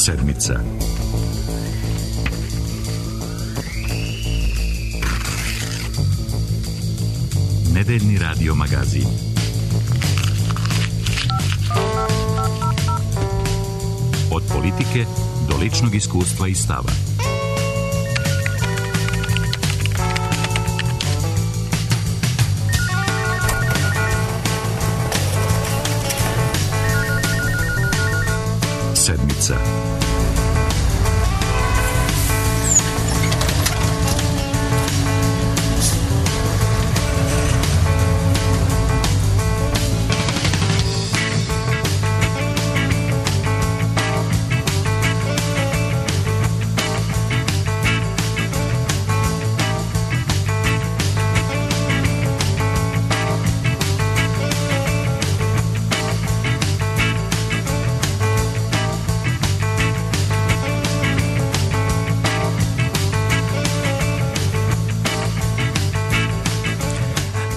Sedmica. Nedeljni radio magazin. Od politike do ličnog iskustva i stava. Sedmica.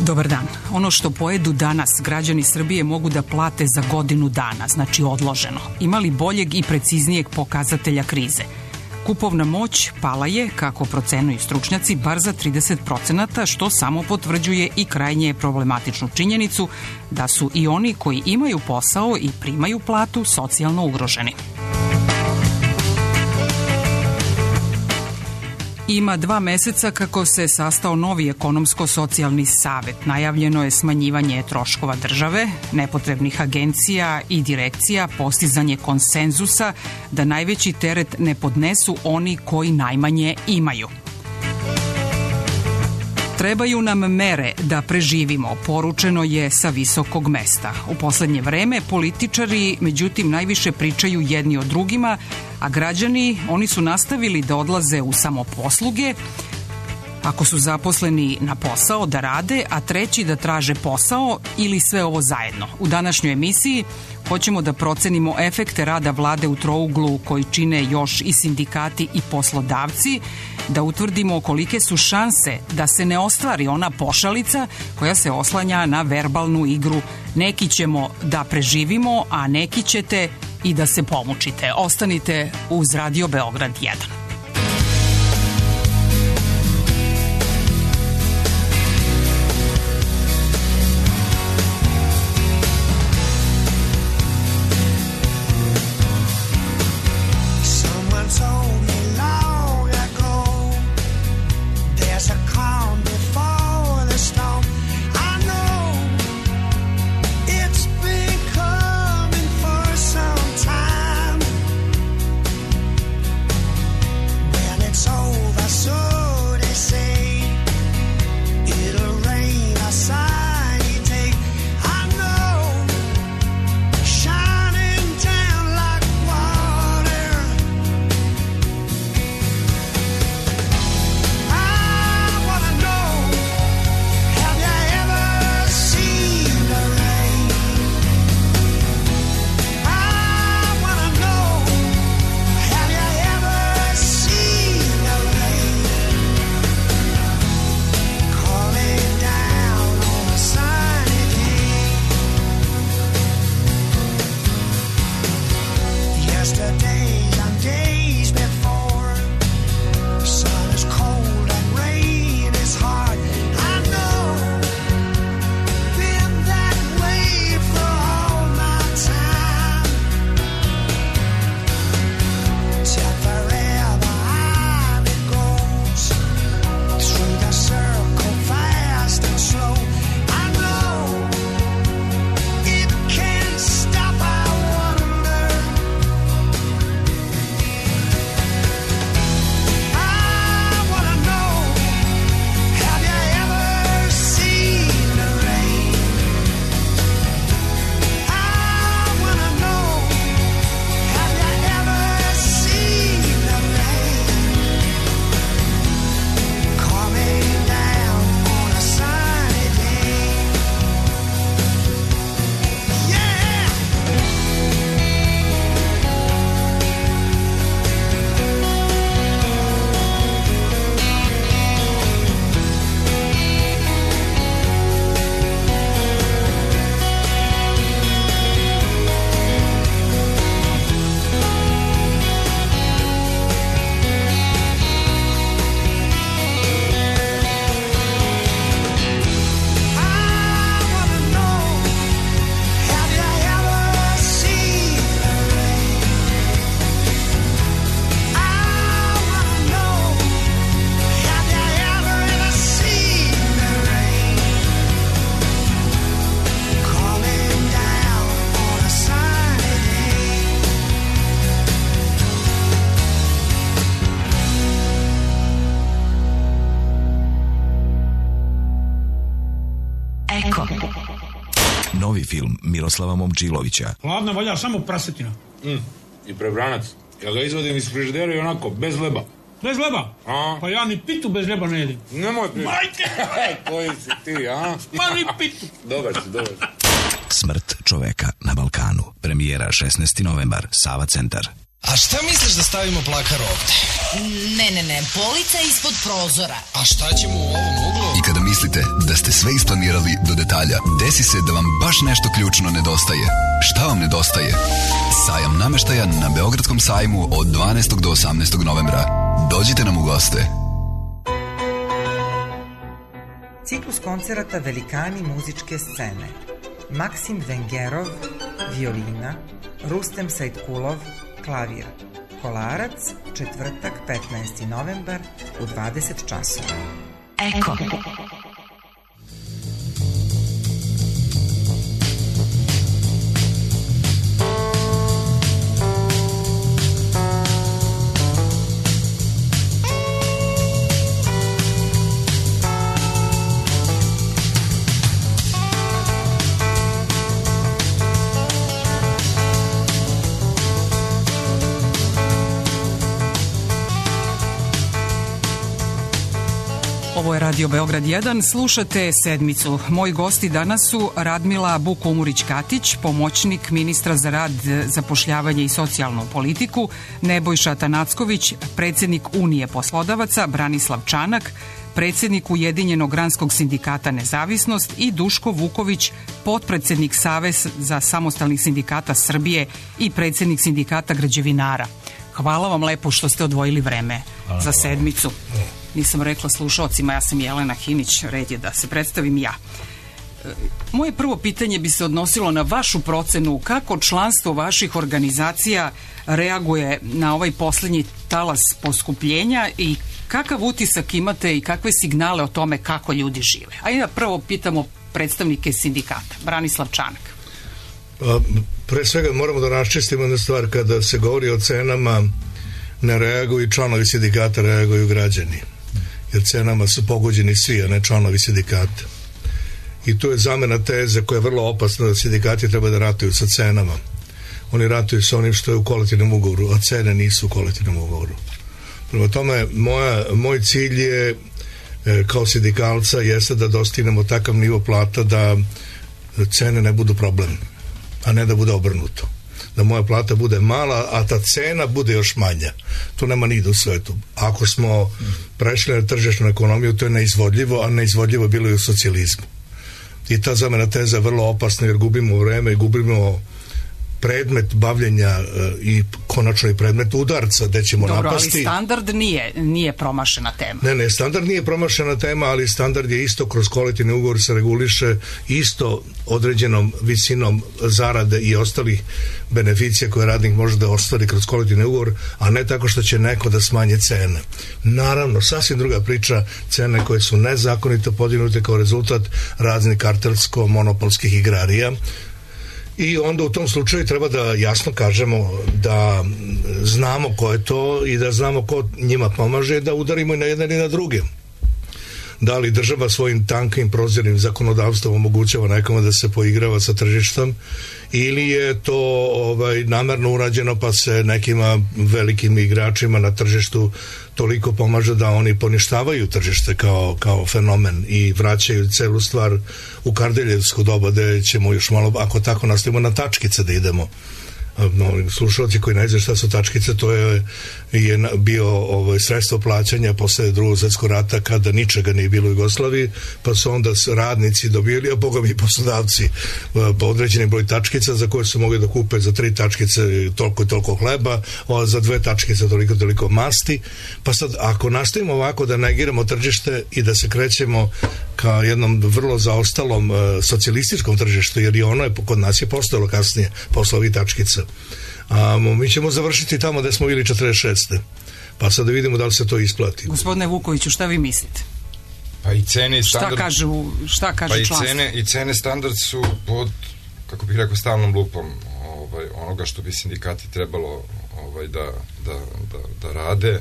Dobar dan. Ono što pojedu danas građani Srbije mogu da plate za godinu dana, znači odloženo. Ima li boljeg i preciznijeg pokazatelja krize? Kupovna moć pala je, kako procenjuju stručnjaci, bar za 30%, što samo potvrđuje i krajnje problematičnu činjenicu da su i oni koji imaju posao i primaju platu socijalno ugroženi. Ima 2 meseca kako se sastao novi ekonomsko-socijalni savet. Najavljeno je smanjivanje troškova države, nepotrebnih agencija i direkcija, postizanje konsenzusa da najveći teret ne podnesu oni koji najmanje imaju. Trebaju nam mere da preživimo, poručeno je sa visokog mesta. U poslednje vreme političari, međutim, najviše pričaju jedni o drugima, a građani, oni su nastavili da odlaze u samoposluge, ako su zaposleni na posao da rade, a treći da traže posao ili sve ovo zajedno. U današnjoj emisiji hoćemo da procenimo efekte rada vlade u trouglu koji čine još i sindikati i poslodavci, da utvrdimo kolike su šanse da se ne ostvari ona pošalica koja se oslanja na verbalnu igru. Neki ćemo da preživimo, a neki ćete i da se pomučite. Ostanite uz Radio Beograd 1. film Miroslava Momčilovića. Hladna valja samo prasetina. I prebranac. Ja ga izvadim iz frižidera i onako, bez leba. Bez leba? Pa ja ni pitu bez leba ne jedim. Nemoj pitu. Majke! Koji si ti, a? Ma ni pitu. Dobar si. Smrt čoveka na Balkanu. Premijera 16. novembar, Sava centar. A šta misliš da stavimo plakar ovde? Ne, polica ispod prozora. A šta ćemo u ovom uglu? I kada mislite da ste sve isplanirali do detalja, desi se da vam baš nešto ključno nedostaje. Šta vam nedostaje? Sajam nameštaja na Beogradskom sajmu od 12. do 18. novembra. Dođite nam u goste. Ciklus koncerata Velikani muzičke scene. Maksim Vengerov, violina, Rustem Sajtkulov, klavir. Kolarac, četvrtak, 15. novembar u 20 časova. Eko. Ovo je Radio Beograd 1, slušate Sedmicu. Moji gosti danas su Radmila Buk-Umurić-Katić, pomoćnik ministra za rad, zapošljavanje i socijalnu politiku, Nebojša Tanacković, predsjednik Unije poslodavaca, Branislav Čanak, predsjednik Ujedinjenog granskog sindikata Nezavisnost i Duško Vuković, potpredsjednik Saveza samostalnih sindikata Srbije i predsjednik sindikata građevinara. Hvala vam lepo što ste odvojili vreme za Sedmicu. Nisam rekla slušalcima, ja sam Jelena Hinić, red je da se predstavim ja. Moje prvo pitanje bi se odnosilo na vašu procenu kako članstvo vaših organizacija reaguje na ovaj posljednji talas poskupljenja i kakav utisak imate i kakve signale o tome kako ljudi žive. Ajde da prvo pitamo predstavnike sindikata. Branislav Čanak. Pre svega moramo da raščistimo jednu stvar, kada se govori o cenama ne reaguju članovi sindikata, reaguju građani. Jer cenama su pogođeni svi, a ne članovi sindikata. I tu je zamena teze koja je vrlo opasna, da sindikati treba da ratuju sa cenama. Oni ratuju sa onim što je u kolektivnom ugovoru, a cene nisu u kolektivnom ugovoru. Prema tome, moj cilj je kao sindikalca jeste da dostignemo takav nivo plata da cene ne budu problem, a ne da bude obrnuto. Da moja plata bude mala, a ta cena bude još manja. To nema nigde u svetu. Ako smo prešli na tržišnu ekonomiju, to je neizvodljivo, a neizvodljivo bilo i u socijalizmu. I ta zamena teza je vrlo opasna, jer gubimo vreme i gubimo predmet bavljenja i konačno i predmet udarca gde ćemo napasti. Dobro, ali standard nije promašena tema. Ne, standard nije promašena tema, ali standard je isto kroz kolektivni ugovor se reguliše isto određenom visinom zarade i ostalih beneficija koje radnik može da ostvari kroz kolektivni ugovor, a ne tako što će neko da smanje cene. Naravno, sasvim druga priča, cene koje su nezakonito podignute kao rezultat raznih kartelsko-monopolskih igrarija. I onda u tom slučaju treba da jasno kažemo da znamo ko je to i da znamo ko njima pomaže, da udarimo i na jedne i na druge. Da li država svojim tankim prozirnim zakonodavstvom omogućava nekome da se poigrava sa tržištem, ili je to namerno urađeno pa se nekima velikim igračima na tržištu toliko pomaže da oni poništavaju tržište kao fenomen i vraćaju celu stvar u Kardeljevsko doba, gde ćemo još malo, ako tako nastavimo, na tačkice da idemo. Slušalci koji ne znaju šta su tačkice, to je bio sredstvo plaćanja posle Drugog svjetskog rata, kada ničega nije bilo u Jugoslaviji, pa su onda radnici dobili, a boga mi poslodavci, po određeni broj tačkica za koje su mogli da kupe za 3 tačkice toliko i toliko hleba, za 2 tačkice toliko masti. Pa sad, ako nastavimo ovako da negiramo tržište i da se krećemo ka jednom vrlo zaostalom socijalističkom tržištu, jer i ono je kod nas je postojalo kasnije posle ovih tačkica, mi ćemo završiti tamo gde smo bili 46. Pa sad da vidimo da li se to isplati. Gospodine Vukoviću, šta vi mislite? Pa i cene i standard... Šta kaže članstvo? I cene standard su pod, kako bih rekao, stalnom lupom onoga što bi sindikati trebalo da rade.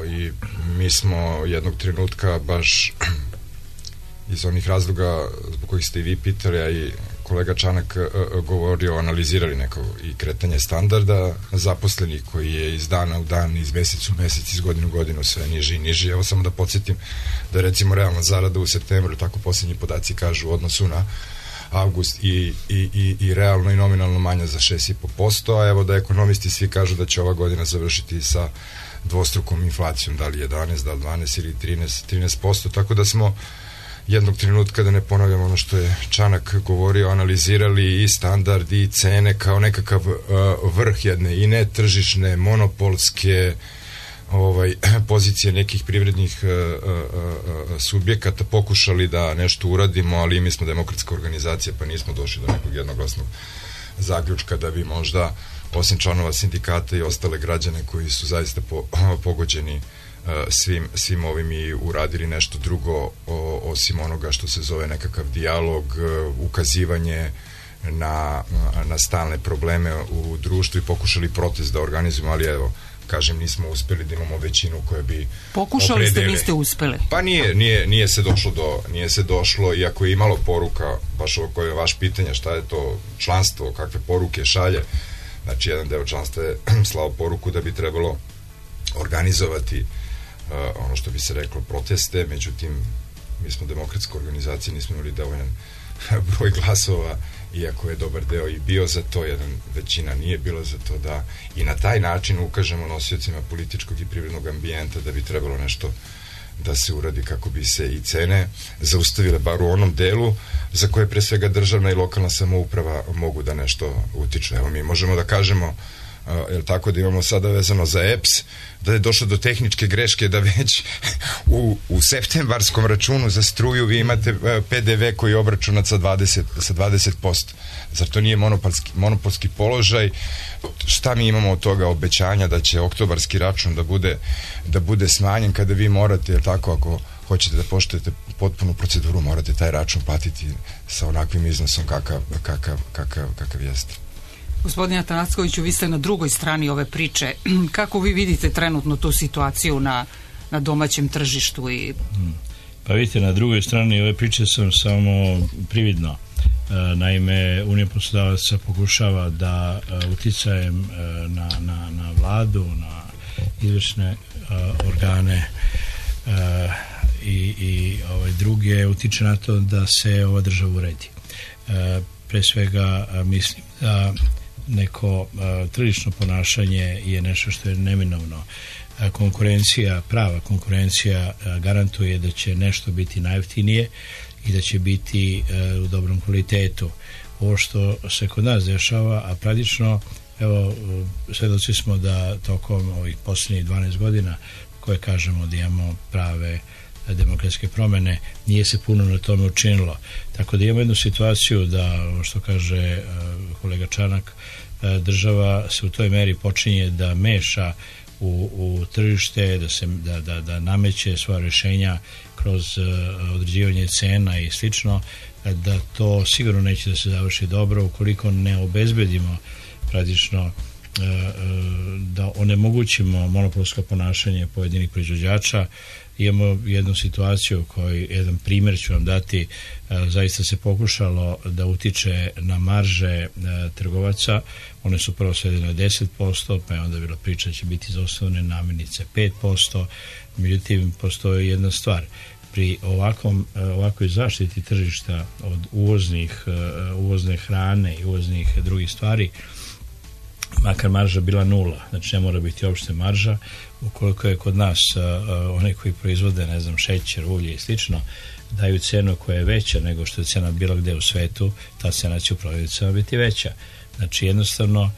I mi smo jednog trenutka baš iz onih razloga zbog kojih ste i vi pitali, a i kolega Čanak govorio, analizirali neko i kretanje standarda zaposlenih koji je iz dana u dan, iz meseca u mesec, iz godinu u godinu sve niži i niži. Evo samo da podsjetim da je recimo realna zarada u septembru, tako posljednji podaci kažu, u odnosu na avgust i realno i nominalno manja za 6,5%, a evo da ekonomisti svi kažu da će ova godina završiti sa dvostrukom inflacijom, da li 11, da li 12 ili 13%, tako da smo jednog trenutka, da ne ponavljam ono što je Čanak govorio, analizirali i standard i cene kao nekakav vrh jedne i netržišne, monopolske pozicije nekih privrednih subjekata, pokušali da nešto uradimo, ali mi smo demokratska organizacija pa nismo došli do nekog jednoglasnog zaključka da bi možda osim članova sindikata i ostale građane koji su zaista pogođeni svim ovim i uradili nešto drugo osim onoga što se zove nekakav dijalog, ukazivanje na stalne probleme u društvu i pokušali protest da organizujemo, ali evo, kažem, nismo uspeli da imamo većinu koja bi pokušali ste, niste uspeli. Pa nije se došlo, iako je imalo poruka, baš ovo koje je vaš pitanje, šta je to članstvo, kakve poruke šalje. Znači, jedan deo članstva je slao poruku da bi trebalo organizovati ono što bi se reklo proteste, međutim mi smo demokratska organizacija, nismo imali dovoljan broj glasova, iako je dobar deo i bio za to, većina nije bila za to, da i na taj način ukažemo nosiocima političkog i privrednog ambijenta da bi trebalo nešto da se uradi kako bi se i cene zaustavile bar u onom delu za koje pre svega državna i lokalna samouprava mogu da nešto utiču. Evo, mi možemo da kažemo, tako da imamo sada vezano za EPS, da je došlo do tehničke greške da već u septembarskom računu za struju vi imate PDV koji je obračunat sa 20%. Zar to nije monopolski položaj? Šta mi imamo od toga obećanja da će oktobarski račun da bude smanjen kada vi morate, tako, ako hoćete da poštujete potpunu proceduru, morate taj račun platiti sa onakvim iznosom kakav jeste. Gospodine Atanackoviću, vi ste na drugoj strani ove priče. Kako vi vidite trenutno tu situaciju na domaćem tržištu? Pa vidite, na drugoj strani ove priče sam samo prividno. Naime, Unija poslodavaca pokušava da uticajem na vladu, na izvršne organe i druge utiče na to da se ova država uredi. Pre svega mislim da neko tržišno ponašanje je nešto što je neminovno. Konkurencija, prava konkurencija garantuje da će nešto biti najjeftinije i da će biti u dobrom kvalitetu. Ovo što se kod nas dešava, a praktično, evo, svedoci smo da tokom ovih posljednjih 12 godina koje kažemo da imamo prave demokratske promene, nije se puno na tome učinilo. Tako da imamo jednu situaciju da, što kaže kolega Čanak, država se u toj meri počinje da meša u tržište, da nameće svoja rješenja kroz određivanje cena i slično, da to sigurno neće da se završi dobro ukoliko ne obezbedimo praktično da onemogućimo monopolsko ponašanje pojedinih proizvođača. Imamo jednu situaciju jedan primjer ću vam dati, zaista se pokušalo da utiče na marže trgovaca, one su prvo svedene na 10%, pa je onda bilo priča će biti za osnovne namirnice 5%, međutim postoji jedna stvar, pri ovakvoj zaštiti tržišta od uvozne hrane i uvoznih drugih stvari, makar marža bila nula, znači ne mora biti uopšte marža, ukoliko je kod nas one koji proizvode, ne znam, šećer, ulje i slično, daju cenu koja je veća nego što je cena bilo gde u svetu, ta cena će u prodavnicama biti veća. Znači jednostavno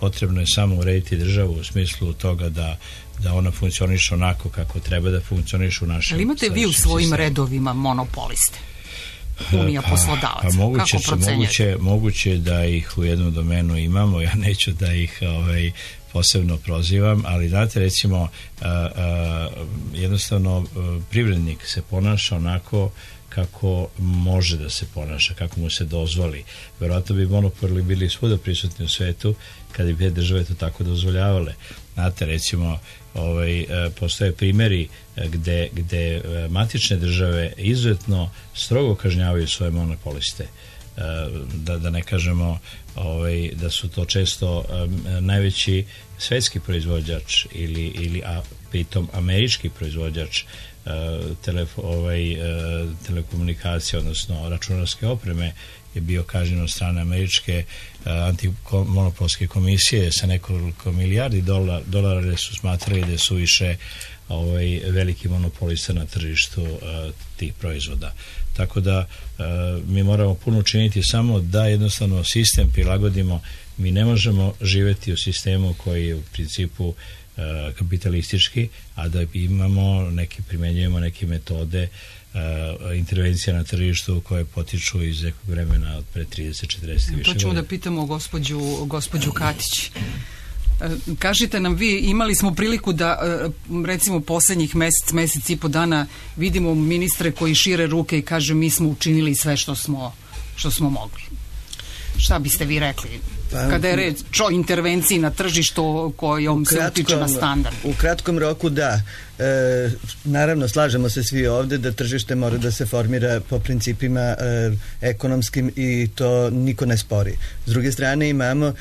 potrebno je samo urediti državu u smislu toga da ona funkcioniše onako kako treba da funkcioniše u našem. Ali imate vi u svojim redovima monopoliste? Unija poslodavaca. Kako procenjujete? Moguće da ih u jednom domenu imamo, ja neću da ih posebno prozivam, ali znate, recimo jednostavno privrednik se ponaša onako kako može da se ponaša, kako mu se dozvoli. Verovatno bi monopoli bili svuda prisutni u svetu kada bi države to tako dozvoljavale. Znate, recimo, postoje primjeri gde matične države izuzetno strogo kažnjavaju svoje monopoliste. Da ne kažemo da su to često najveći svetski proizvođač a pritom američki proizvođač telekomunikacije, odnosno računarske opreme, je bio kažnjen od strane američke antimonopolske komisije sa nekoliko milijardi dolara, jer su smatrali da je suviše veliki monopolista na tržištu tih proizvoda. Tako da mi moramo puno učiniti samo da jednostavno sistem prilagodimo. Mi ne možemo živjeti u sistemu koji je u principu kapitalistički, a da primenjujemo neke metode intervencija na tržištu koje potiču iz nekog vremena od pre 30-40 više godina. To ćemo da pitamo gospođu Katić. Kažite nam vi, imali smo priliku da recimo poslednjih mesec i po dana vidimo ministre koji šire ruke i kaže mi smo učinili sve što smo mogli. Šta biste vi rekli kada je reč o intervenciji na tržištu kojom se utiče na standard? U kratkom roku da. Naravno, slažemo se svi ovde da tržište mora da se formira po principima ekonomskim i to niko ne spori. S druge strane imamo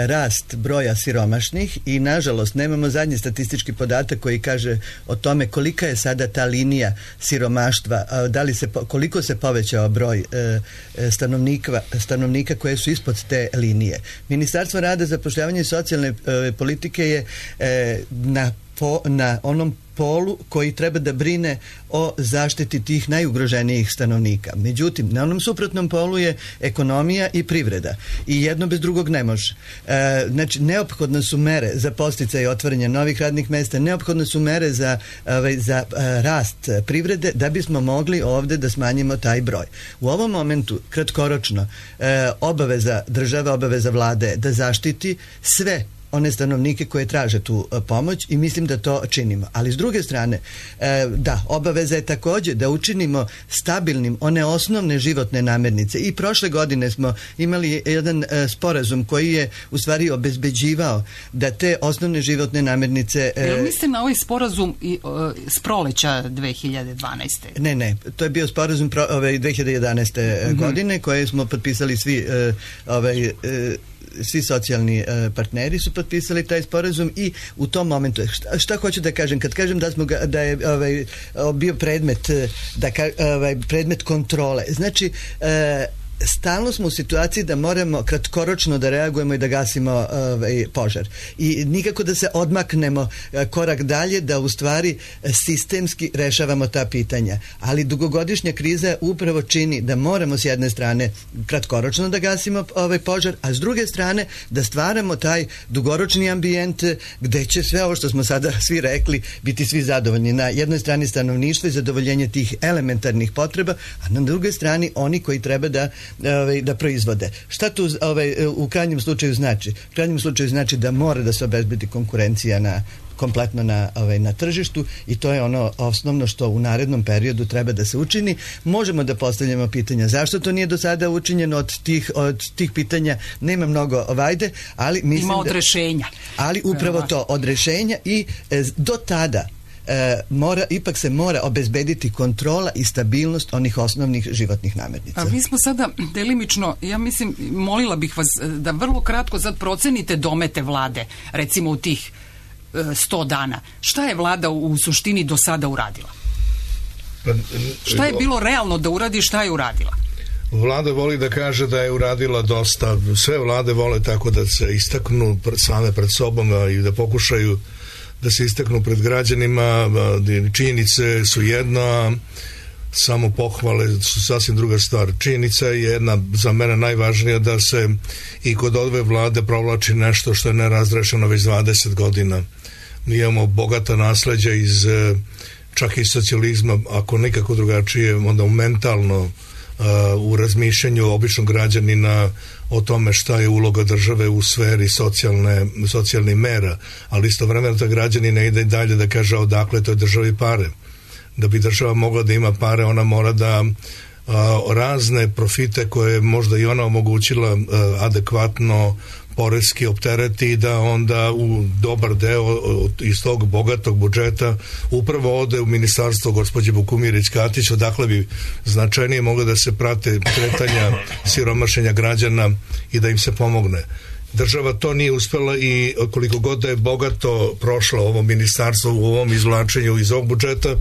rast broja siromašnih i nažalost nemamo zadnji statistički podatak koji kaže o tome kolika je sada ta linija siromaštva, koliko se povećao broj stanovnika koje su ispod te linije. Ministarstvo rada, zapošljavanja i socijalne politike je na onom polu koji treba da brine o zaštiti tih najugroženijih stanovnika. Međutim, na onom suprotnom polu je ekonomija i privreda. I jedno bez drugog ne može. Znači, neophodne su mere za podsticaj i otvaranje novih radnih mesta, neophodne su mere za rast privrede da bismo mogli ovde da smanjimo taj broj. U ovom momentu, kratkoročno, obaveza države, obaveza vlade da zaštiti sve one stanovnike koje traže tu pomoć i mislim da to činimo. Ali s druge strane, da, obaveza je takođe da učinimo stabilnim one osnovne životne namirnice. I prošle godine smo imali jedan sporazum koji je u stvari obezbeđivao da te osnovne životne namirnice... Jel mislite na ovaj sporazum s proleća 2012. Ne, to je bio sporazum 2011. godine koje smo potpisali svi socijalni partneri su potpisali taj sporazum i u tom momentu, šta hoću da kažem, kad kažem da je bio predmet kontrole, znači stalno smo u situaciji da moramo kratkoročno da reagujemo i da gasimo požar. I nikako da se odmaknemo korak dalje, da u stvari sistemski rešavamo ta pitanja. Ali dugogodišnja kriza upravo čini da moramo s jedne strane kratkoročno da gasimo požar, a s druge strane da stvaramo taj dugoročni ambijent gde će sve ovo što smo sada svi rekli biti svi zadovoljni. Na jednoj strani stanovništvo i zadovoljenje tih elementarnih potreba, a na drugoj strani oni koji treba da proizvode. Šta tu u krajnjem slučaju znači? U krajnjem slučaju znači da mora da se obezbedi konkurencija kompletno na tržištu i to je ono osnovno što u narednom periodu treba da se učini. Možemo da postavljamo pitanja zašto to nije do sada učinjeno, od tih pitanja nema mnogo vajde, ali mislim ima od rešenja. Ali upravo to, od rešenja i do tada ipak se mora obezbediti kontrola i stabilnost onih osnovnih životnih namirnica. A mi smo sada delimično, ja mislim, molila bih vas da vrlo kratko sad procenite domete vlade, recimo u tih 100 dana. Šta je vlada u suštini do sada uradila? Šta je bilo realno da uradi, šta je uradila? Vlada voli da kaže da je uradila dosta. Sve vlade vole tako da se istaknu same pred sobom i da pokušaju da se istaknu pred građanima. Činjenice su jedna, samo pohvale su sasvim druga stvar. Činjenica je jedna za mene najvažnija, da se i kod ove vlade provlači nešto što je nerazrešeno već 20 godina. Mi imamo bogata nasleđa čak i socijalizma, ako nikako drugačije, onda mentalno u razmišljanju običnog građanina o tome šta je uloga države u sferi socijalnih mera, ali istovremeno ta građanin ne ide dalje da kaže odakle toj državi pare. Da bi država mogla da ima pare, ona mora da razne profite koje možda i ona omogućila adekvatno poreski optereti, da onda u dobar deo iz tog bogatog budžeta upravo ode u ministarstvo gospođe Vukumirić-Katić, odakle bi značajnije moglo da se prate kretanja siromašenja građana i da im se pomogne. Država to nije uspela i koliko god da je bogato prošlo ovo ministarstvo u ovom izvlačenju iz ovog budžeta,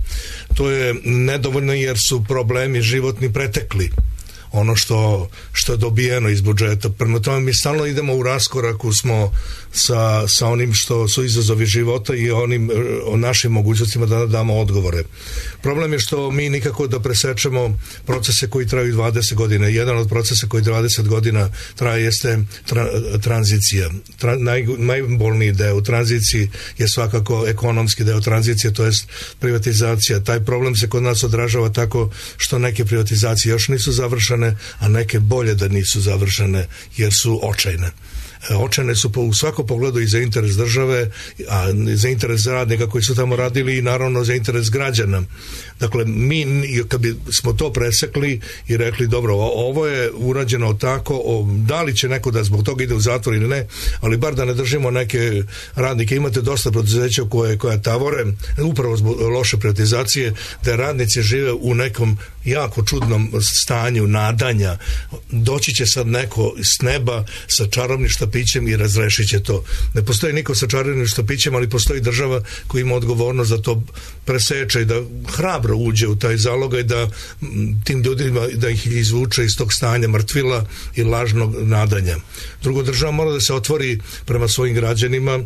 to je nedovoljno jer su problemi životni pretekli ono što je dobijeno iz budžeta. Prema tome mi stalno idemo u raskoraku smo sa onim što su izazovi života i o našim mogućnostima da damo odgovore. Problem je što mi nikako da presečemo procese koji traju 20 godina. Jedan od procesa koji 20 godina traje jeste tranzicija. Najbolniji deo u tranziciji je svakako ekonomski deo tranzicije, to jest privatizacija. Taj problem se kod nas odražava tako što neke privatizacije još nisu završene, a neke bolje da nisu završene jer su očajne. Očajne su u svakom pogledu i za interes države, a za interes radnika koji su tamo radili i naravno za interes građana. Dakle, mi kad bi smo to presekli i rekli dobro, ovo je urađeno tako, da li će neko da zbog toga ide u zatvor ili ne, ali bar da ne držimo neke radnike. Imate dosta preduzeća koja tavore upravo zbog loše privatizacije, da radnici žive u nekom jako čudnom stanju nadanja. Doći će sad neko s neba sa čarobnim štapićem i razrešit će to. Ne postoji niko sa čarobnim štapićem, ali postoji država koja ima odgovornost da to preseče i da hrabro uđe u taj zalogaj, da tim ljudima da ih izvuče iz tog stanja mrtvila i lažnog nadanja. Drugo, država mora da se otvori prema svojim građanima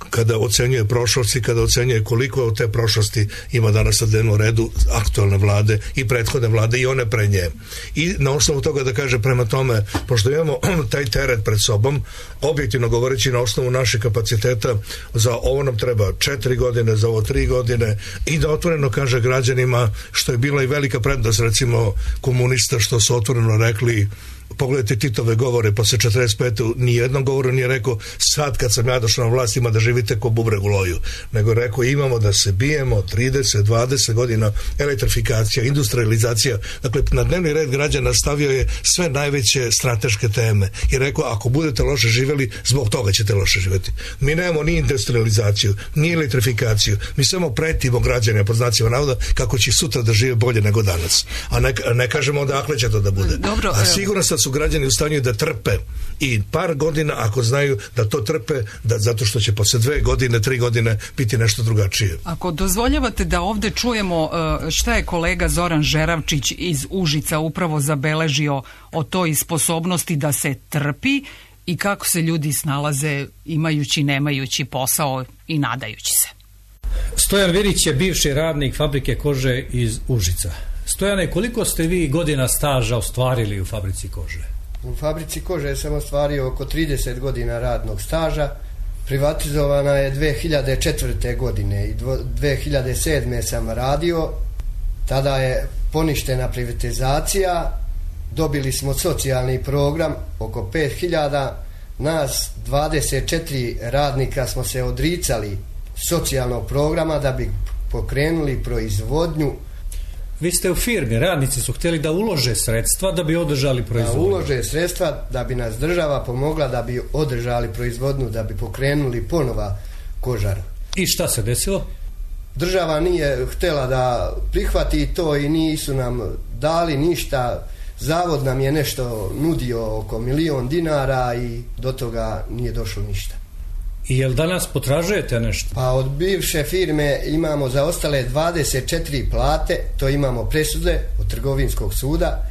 kada ocenjuje prošlost i kada ocenjuje koliko od te prošlosti ima danas na dnevnom redu aktualne vlade i prethodne vlade i one pre nje. I na osnovu toga da kaže prema tome, pošto imamo taj teret pred sobom, objektivno govoreći na osnovu naših kapaciteta, za ovo nam treba 4 godine, za ovo 3 godine i da otvoreno kaže građanima, što je bila i velika prednost recimo komunista, što su otvoreno rekli, pogledajte Titove govore posle 45. nijednom govoru nije rekao sad kad sam ja došao na vlast ima da živite ko bubreg u loju, nego rekao imamo da se bijemo 30, 20 godina elektrifikacija, industrializacija. Dakle, na dnevni red građana stavio je sve najveće strateške teme i rekao ako budete loše živjeli, zbog toga ćete loše živjeti. Mi nemamo ni industrializaciju, ni elektrifikaciju, mi samo pretimo građane pod znacima navoda kako će sutra da žive bolje nego danas. A ne kažemo odakle će to da bude. Dobro, a sigurno su građani u stanju da trpe i par godina ako znaju da to trpe, zato što će posle 2 godine, 3 godine biti nešto drugačije. Ako dozvoljavate da ovde čujemo šta je kolega Zoran Žeravčić iz Užica upravo zabeležio o toj sposobnosti da se trpi i kako se ljudi snalaze imajući, nemajući posao i nadajući se. Stojan Virić je bivši radnik fabrike kože iz Užica. Stojane, koliko ste vi godina staža ostvarili u fabrici kože? U fabrici kože sam ostvario oko 30 godina radnog staža. Privatizovana je 2004. godine i 2007. sam radio. Tada je poništena privatizacija. Dobili smo socijalni program, oko 5000. Nas 24 radnika smo se odricali socijalnog programa da bi pokrenuli proizvodnju. Vi ste u firmi, radnici su htjeli da ulože sredstva da bi održali proizvodnju. Da ulože sredstva da bi nas država pomogla da bi održali proizvodnju, da bi pokrenuli ponova kožar. I šta se desilo? Država nije htjela da prihvati to i nisu nam dali ništa. Zavod nam je nešto nudio oko 1 milion dinara i do toga nije došlo ništa. I jel danas potražujete nešto? Pa od bivše firme imamo za ostale 24 plate, to imamo presude od trgovinskog suda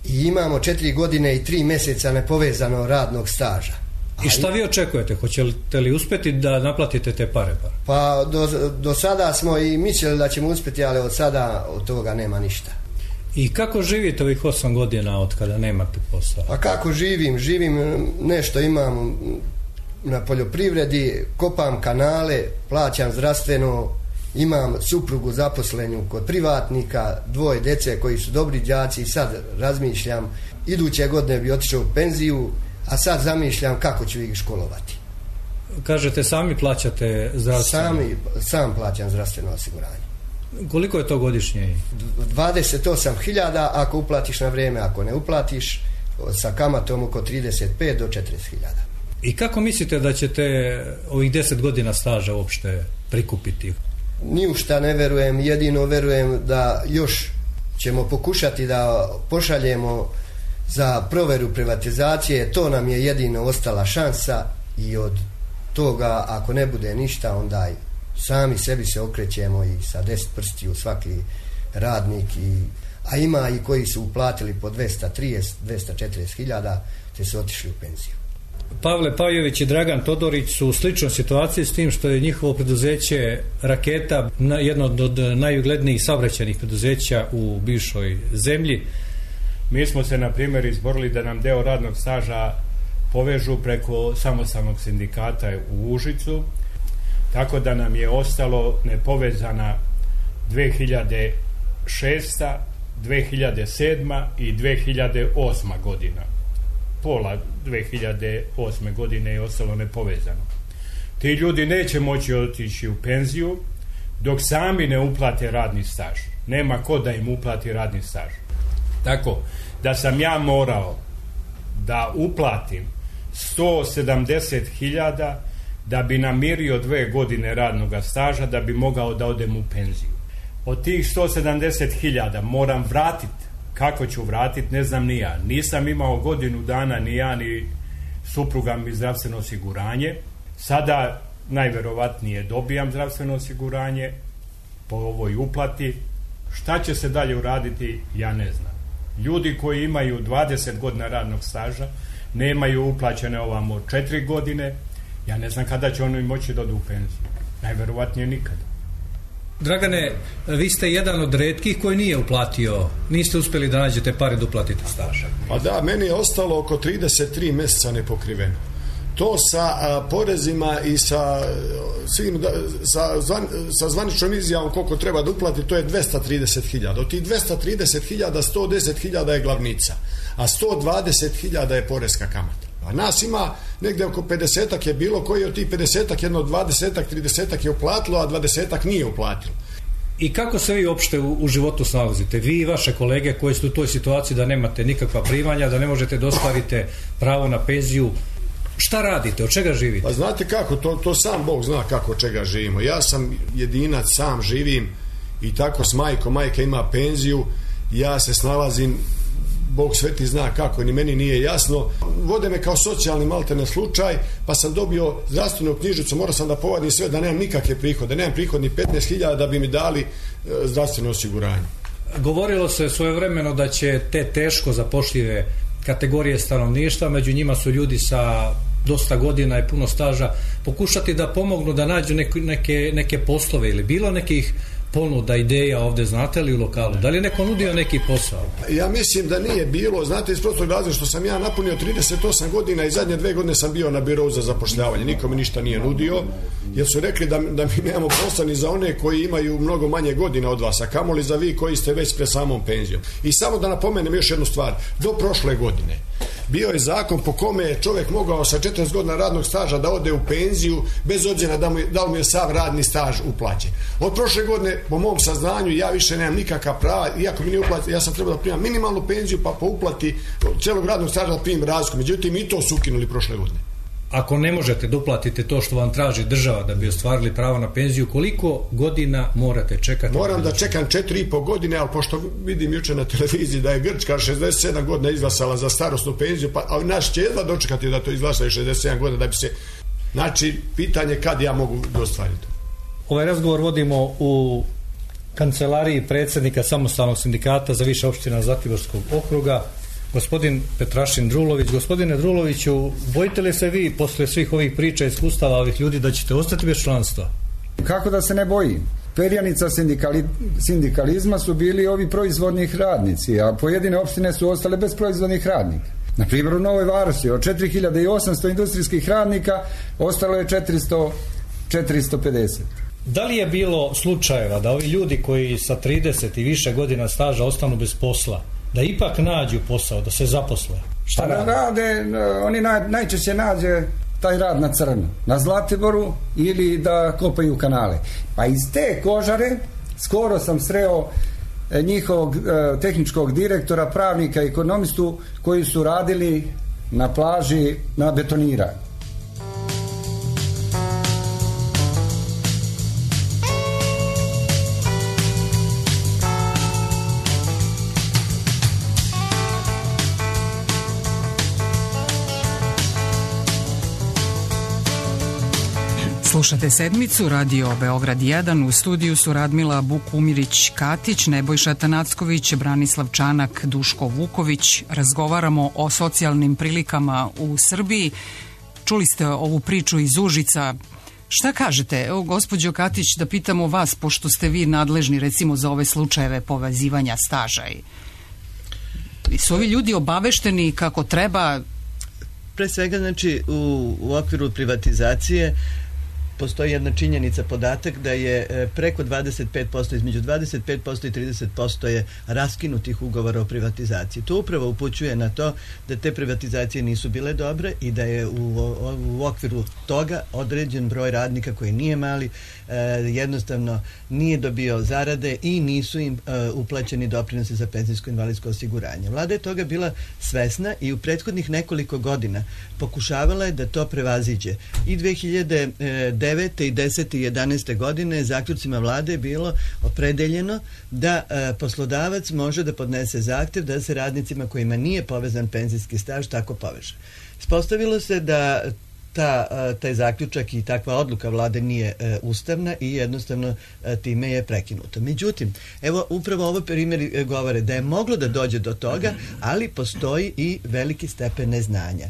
i imamo 4 godine i 3 mjeseca nepovezano radnog staža. I šta vi očekujete? Hoćete li uspjeti da naplatite te pare? Pa do sada smo i mislili da ćemo uspjeti, ali od sada od toga nema ništa. I kako živite ovih 8 godina od kada nemate posao? Pa kako živim nešto imam na poljoprivredi, kopam kanale, plaćam zdravstveno, imam suprugu zaposlenju kod privatnika, 2 djece koji su dobri đaci i sad razmišljam, iduće godine bi otišao u penziju, a sad zamišljam kako ću ih školovati. Kažete sami plaćate zdravstveno? Sam plaćam zdravstveno osiguranje. Koliko je to godišnje? 28.000 ako uplatiš na vrijeme, ako ne uplatiš sa kamatom oko 35 do 40.000. I kako mislite da ćete ovih 10 godina staža uopšte prikupiti? Ni u šta ne verujem, jedino verujem da još ćemo pokušati da pošaljemo za proveru privatizacije, to nam je jedino ostala šansa i od toga ako ne bude ništa onda sami sebi se okrećemo i sa 10 prstiju svaki radnik, a ima i koji su uplatili po 230-240.000 te su otišli u penziju. Pavle Pajović i Dragan Todorić su u sličnoj situaciji s tim što je njihovo preduzeće Raketa jedno od najuglednijih saobraćajnih preduzeća u bivšoj zemlji. Mi smo se na primjer izborili da nam deo radnog staža povežu preko samostalnog sindikata u Užicu, tako da nam je ostalo nepovezana 2006., 2007. i 2008. godina. Pola 2008. godine je ostalo nepovezano. Ti ljudi neće moći otići u penziju dok sami ne uplate radni staž. Nema ko da im uplati radni staž. Tako da sam ja morao da uplatim 170.000 da bi namirio 2 godine radnog staža da bi mogao da odem u penziju. Od tih 170.000 moram vratiti. Kako ću vratiti, ne znam ni ja. Nisam imao godinu dana ni ja ni supruga mi zdravstveno osiguranje. Sada najverovatnije dobijam zdravstveno osiguranje po ovoj uplati. Šta će se dalje uraditi, ja ne znam. Ljudi koji imaju 20 godina radnog staža nemaju uplaćene ovamo 4 godine. Ja ne znam kada će oni moći da odu u penziju. Najverovatnije nikada. Dragane, vi ste jedan od retkih koji nije uplatio, niste uspjeli da nađete pare da uplatite staža. Pa da, meni je ostalo oko 33 mjeseca nepokriveno. To sa porezima i sa svim, sa zvaničnom izjavom koliko treba da uplati, to je 230.000. Od tih 230.000, 110.000 je glavnica, a 120.000 je porezka kamata. A nas ima negdje oko 50-ak je bilo, koji od tih 50-ak jedno 20-ak, 30-ak je uplatilo, a 20-ak nije uplatilo. I kako se vi uopšte u životu snalazite? Vi i vaše kolege koji ste u toj situaciji da nemate nikakva primanja, da ne možete da ostvarite pravo na penziju, šta radite, od čega živite? Pa znate kako, to sam Bog zna kako od čega živimo. Ja sam jedinac, sam živim i tako s majkom, majka ima penziju, ja se snalazim, Bog sveti zna kako, ni meni nije jasno. Vode me kao socijalni maltene slučaj, pa sam dobio zdravstvenu knjižicu, morao sam da povadim sve da nemam nikakve prihode, nemam prihod ni 15.000 da bi mi dali zdravstveno osiguranje. Govorilo se svojevremeno da će te teško zapošljive kategorije stanovništva, među njima su ljudi sa dosta godina i puno staža, pokušati da pomognu da nađu neke poslove ili bilo nekih ponuda, ideja ovdje, znate li u lokalu? Da li je neko nudio neki posao? Ja mislim da nije bilo, znate, iz prostog razloga što sam ja napunio 38 godina i zadnje 2 godine sam bio na birou za zapošljavanje. Niko mi ništa nije nudio, jer su rekli da mi nemamo posla ni za one koji imaju mnogo manje godina od vas, a kamoli za vi koji ste već pred samom penzijom. I samo da napomenem još jednu stvar, do prošle godine bio je zakon po kome je čovjek mogao sa 40 godina radnog staža da ode u penziju bez obzira da li mu je sav radni staž uplaćen. Od prošle godine, po mom saznanju, ja više nemam nikakav prava, iako mi nije uplati, ja sam trebao da primam minimalnu penziju, pa po uplati cijelog radnog staža da primim razliku. Međutim, i to su ukinuli prošle godine. Ako ne možete da uplatite to što vam traži država da bi ostvarili pravo na penziju, koliko godina morate čekati? Moram da čekam 4,5 godine, ali pošto vidim jučer na televiziji da je Grčka 67 godina izglasala za starosnu penziju, pa naš će jedva dočekati da to izglasaju 67 godina da bi se... Znači, pitanje kad ja mogu ostvariti. Ovaj razgovor vodimo u kancelariji predsjednika Samostalnog sindikata za više opština Zlatiborskog okruga, gospodin Petrašin Drulović. Gospodine Druloviću, bojite li se vi posle svih ovih priča i iskustava ovih ljudi da ćete ostati bez članstva? Kako da se ne bojim? Perjanica sindikalizma su bili ovi proizvodnih radnici, a pojedine opštine su ostale bez proizvodnih radnika. Na primjer u Novoj Varoši od 4800 industrijskih radnika ostalo je 450. Da li je bilo slučajeva da ovi ljudi koji sa 30 i više godina staža ostanu bez posla, da ipak nađu posao, da se zaposle? Šta rade? Oni najčešće nađe taj rad na crno, na Zlatiboru ili da kopaju kanale. Pa iz te kožare Skoro sam sreo njihovog tehničkog direktora, pravnika, ekonomistu koji su radili na plaži na betoniranju. Slušate Sedmicu, radio Beograd 1, u studiju su Radmila Bukumirić-Katić, Nebojša Tanacković, Branislav Čanak, Duško Vuković. Razgovaramo o socijalnim prilikama u Srbiji. Čuli ste ovu priču iz Užica. Šta kažete, evo gospođo Katić, da pitamo vas, pošto ste vi nadležni recimo za ove slučajeve povezivanja staža. I su ovi ljudi obavešteni kako treba? Pre svega, znači, u okviru privatizacije postoji jedna činjenica, podatak da je preko 25%, između 25% i 30% je raskinutih ugovora o privatizaciji. To upravo upućuje na to da te privatizacije nisu bile dobre i da je u okviru toga određen broj radnika koji nije mali, jednostavno nije dobio zarade i nisu im uplaćeni doprinosi za penzijsko invalidsko osiguranje. Vlada je toga bila svesna i u prethodnih nekoliko godina pokušavala je da to prevaziđe. I 2009. i 10. i 11. godine zaključcima vlade je bilo opredeljeno da poslodavac može da podnese zahtev da se radnicima kojima nije povezan penzijski staž tako poveže. Ispostavilo se da taj zaključak i takva odluka vlade nije ustavna i jednostavno time je prekinuto. Međutim, evo upravo ovo primjeri govore da je moglo da dođe do toga, ali postoji i veliki stepen neznanja.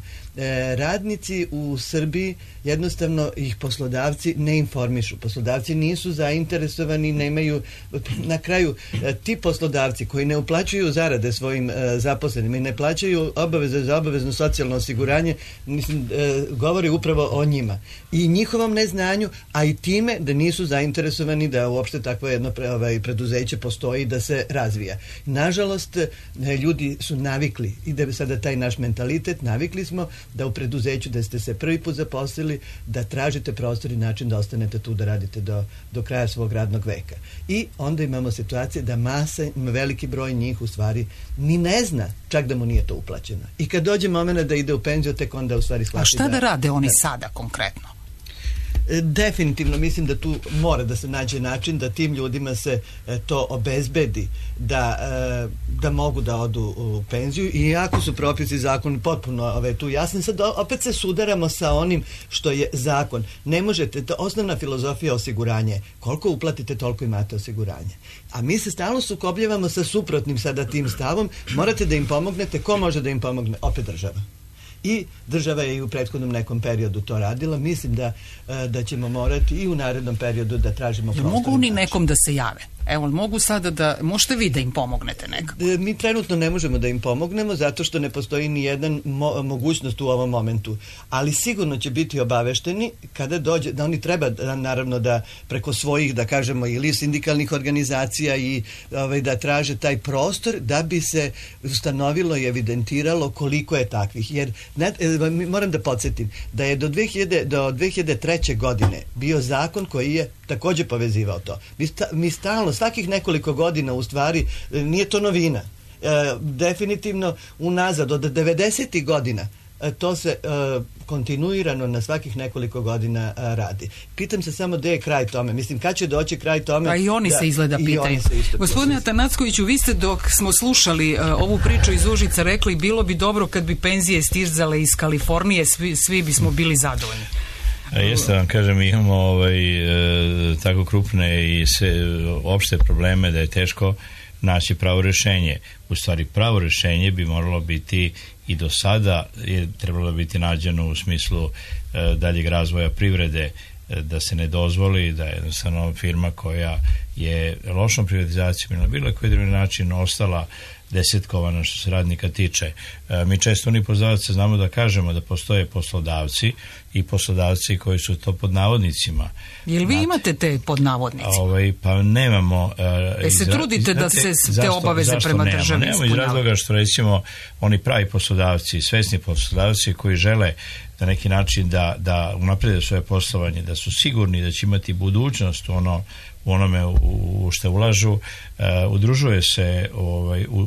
Radnici u Srbiji jednostavno ih poslodavci ne informišu. Poslodavci nisu zainteresovani, nemaju, na kraju ti poslodavci koji ne uplaćuju zarade svojim zaposlenima i ne plaćaju obaveze za obavezno socijalno osiguranje, mislim, govori upravo o njima i njihovom neznanju, a i time da nisu zainteresovani da uopšte takvo jedno preduzeće postoji da se razvija. Nažalost, ljudi su navikli i da sada taj naš mentalitet, navikli smo da u preduzeću da ste se prvi put zaposlili, da tražite prostor i način da ostanete tu da radite do kraja svog radnog veka. I onda imamo situacije da veliki broj njih u stvari ni ne zna čak da mu nije to uplaćeno. I kad dođe moment da ide u penziju, tek onda u stvari shvati. A šta da rade oni sada konkretno? Definitivno mislim da tu mora da se nađe način da tim ljudima se to obezbedi da mogu da odu u penziju, i jako su propisi zakon potpuno tu jasni. Sad opet se sudaramo sa onim što je zakon. Ne možete, osnovna filozofija osiguranja je koliko uplatite toliko imate osiguranje. A mi se stalno sukobljavamo sa suprotnim sada tim stavom. Morate da im pomognete. Ko može da im pomogne? Opet država. I država je i u prethodnom nekom periodu to radila. Mislim da ćemo morati i u narednom periodu da tražimo prostor. Mogu oni nekom da se jave? Evo, mogu sada da, možete vi da im pomognete nekako? Mi trenutno ne možemo da im pomognemo zato što ne postoji ni jedan mogućnost u ovom momentu. Ali sigurno će biti obavešteni kada dođe, da oni treba naravno da preko svojih, da kažemo, ili sindikalnih organizacija i da traže taj prostor da bi se ustanovilo i evidentiralo koliko je takvih. Jer moram da podsjetim da je do 2003. godine bio zakon koji je također povezivao to. Mi stalno, svakih nekoliko godina u stvari, nije to novina. Definitivno unazad od 90. godina to se kontinuirano na svakih nekoliko godina radi. Pitam se samo gde je kraj tome. Mislim, kad će doći kraj tome? Pa i oni se izgleda pitaju. Gospodine Atanackoviću, vi ste dok smo slušali ovu priču iz Užica rekli bilo bi dobro kad bi penzije stizale iz Kalifornije, svi bismo bili zadovoljni. Jeste, vam kažem, imamo tako krupne i opšte probleme da je teško naći pravo rješenje. U stvari, pravo rješenje bi moralo biti i do sada je trebalo biti nađeno u smislu daljeg razvoja privrede, da se ne dozvoli da je jednostavno firma koja je lošom privatizacijom ili na bilo koji drugi način ostala desetkovana što se radnika tiče. Mi često oni poslodavci znamo da kažemo da postoje poslodavci i poslodavci koji su to pod navodnicima. Jel vi imate te pod navodnicima? Pa nemamo. Se trudite da se te obaveze prema državi ispunjavaju? Nemamo iz razloga što recimo oni pravi poslodavci, svesni poslodavci koji žele na neki način da unaprede svoje poslovanje, da su sigurni da će imati budućnost u onome u što ulažu, udružuje se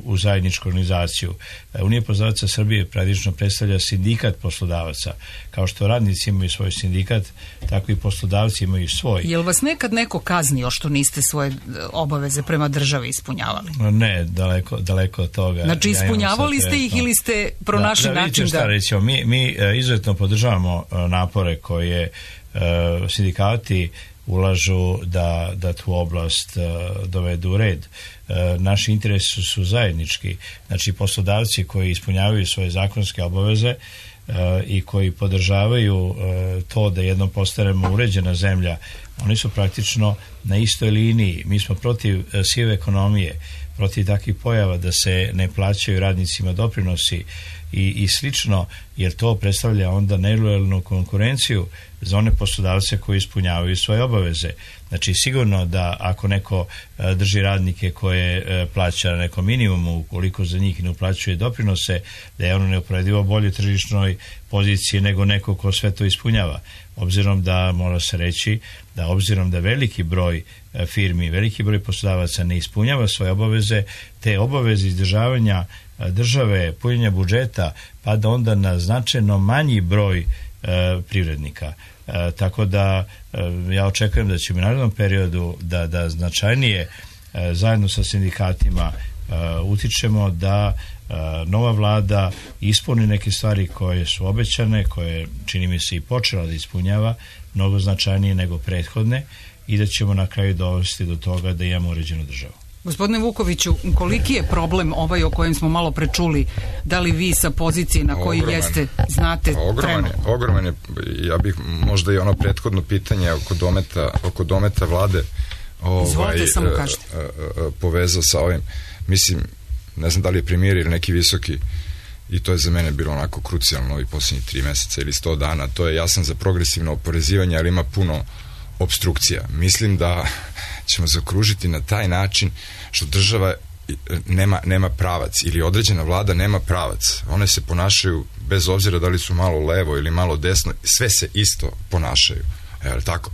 u zajedničku organizaciju. Unija poslodavaca Srbije praktično predstavlja sindikat poslodavaca. Kao što radnici imaju svoj sindikat, tako i poslodavci imaju svoj. Je li vas nekad neko kaznio što niste svoje obaveze prema državi ispunjavali? Ne, daleko od toga. Znači ispunjavali ste ih ili ste pronašli način da... Recimo, mi izuzetno podržavamo napore koje sindikati ulažu da tu oblast dovedu u red. Naši interesi su zajednički. Znači, poslodavci koji ispunjavaju svoje zakonske obaveze i koji podržavaju to da jednom postanemo uređena zemlja, oni su praktično na istoj liniji. Mi smo protiv sive ekonomije, protiv takvih pojava da se ne plaćaju radnicima doprinosi i slično, jer to predstavlja onda nelojalnu konkurenciju za one poslodavce koji ispunjavaju svoje obaveze. Znači, sigurno da ako neko drži radnike koje plaća na nekom minimumu, ukoliko za njih ne uplaćuje doprinose, da je ono neuporedivo bolje tržišnoj poziciji nego neko ko sve to ispunjava. Obzirom da, mora se reći, da obzirom da veliki broj firmi, veliki broj poslodavaca ne ispunjava svoje obaveze, te obaveze izdržavanja države, punjenja budžeta, pa da onda na značajno manji broj privrednika. Tako da ja očekujem da ćemo u narednom periodu da značajnije zajedno sa sindikatima utičemo da nova vlada ispuni neke stvari koje su obećane, koje čini mi se i počela da ispunjava, mnogo značajnije nego prethodne, i da ćemo na kraju dovesti do toga da imamo uređenu državu. Gospodine Vukoviću, koliki je problem ovaj o kojem smo malo prečuli? Da li vi sa pozicije na koji jeste znate trenutno? Ogroman je. Ja bih možda i ono prethodno pitanje oko dometa vlade Izvolite, samo kažete. Povezao sa ovim. Mislim, ne znam da li je premijer ili neki visoki, i to je za mene bilo onako krucijalno ovih posljednjih 3 meseca ili 100 dana. To je, ja sam za progresivno oporezivanje, ali ima puno opstrukcija. Mislim da ćemo zaokružiti na taj način što država nema pravac ili određena vlada nema pravac. One se ponašaju, bez obzira da li su malo levo ili malo desno, sve se isto ponašaju. Evo, tako.